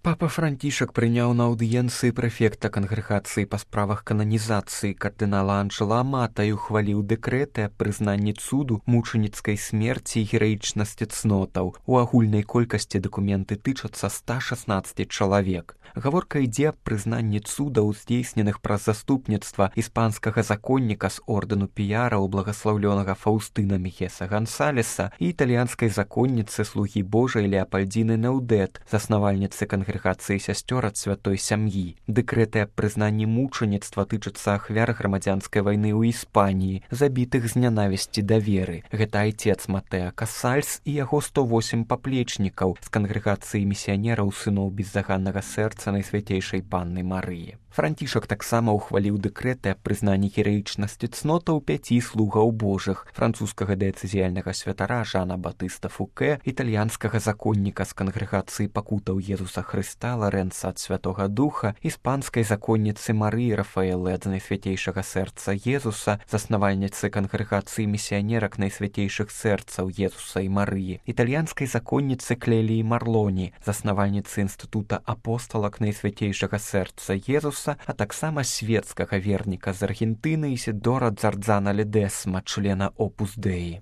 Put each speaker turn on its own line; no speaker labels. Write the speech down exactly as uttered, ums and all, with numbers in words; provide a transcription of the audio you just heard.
Папа Францішак прыняў на аўдыенцыі прэфекта кангрэгацыі па справах кананізацыі кардынала Анджэла Амата і ухваліў дэкрэты аб прызнанні цуду, мучаніцкай смерці і гераічнасці цнотаў. У агульнай колькасці дакументы тычацца ста шаснаццаць чалавек. Гаворка ідзе аб прызнанні цудаў, здзейсненых праз заступніцтва іспанскага законніка з ордэну піяраў благаслаўлёнага Фаўстына Мехеса Гансалеса і італьянскай законніцы слугі Божай Леапальдзіны Неўдэт, заснавальніцы кангрэгацыі сясцёр ад святой сям'і. Дэкрэты аб прызнанні мучаніцтва тычацца ахвяр грамадзянскай вайны ў Іспаніі, забітых з нянавісці да веры. Гэта айцец Матэа Касальс і яго сто восем паплечнікаў з кангрэгацыі місіянераў сыноў беззаганнага сэрца Найсвяцейшай Панны Марыі. Францішак таксама ухваліў дэкрэты аб прызнанні гераічнасці цнотаў пяці слугаў Божых: французскага дыяцэзіяльнага святара Жана Батыста Фукэ, італьянскага законніка з кангрэгацыі пакутаў Езуса Хрыста Ларэнца ад Святога Духа, іспанскай законніцы Марыі Рафаэлы ад Найсвяцейшага сэрца Езуса, заснавальніцы кангрэгацыі місіянерак Найсвяцейшых сэрцаў Езуса і Марыі, італьянскай законніцы Клеліі Марлоні, заснавальніцы інстытута апосталак Найсвяцейшага сэрца Езуса, а таксама светскага верніка з Аргентыны Ісідора Дзардзана Ледесма, члена Опус Деі.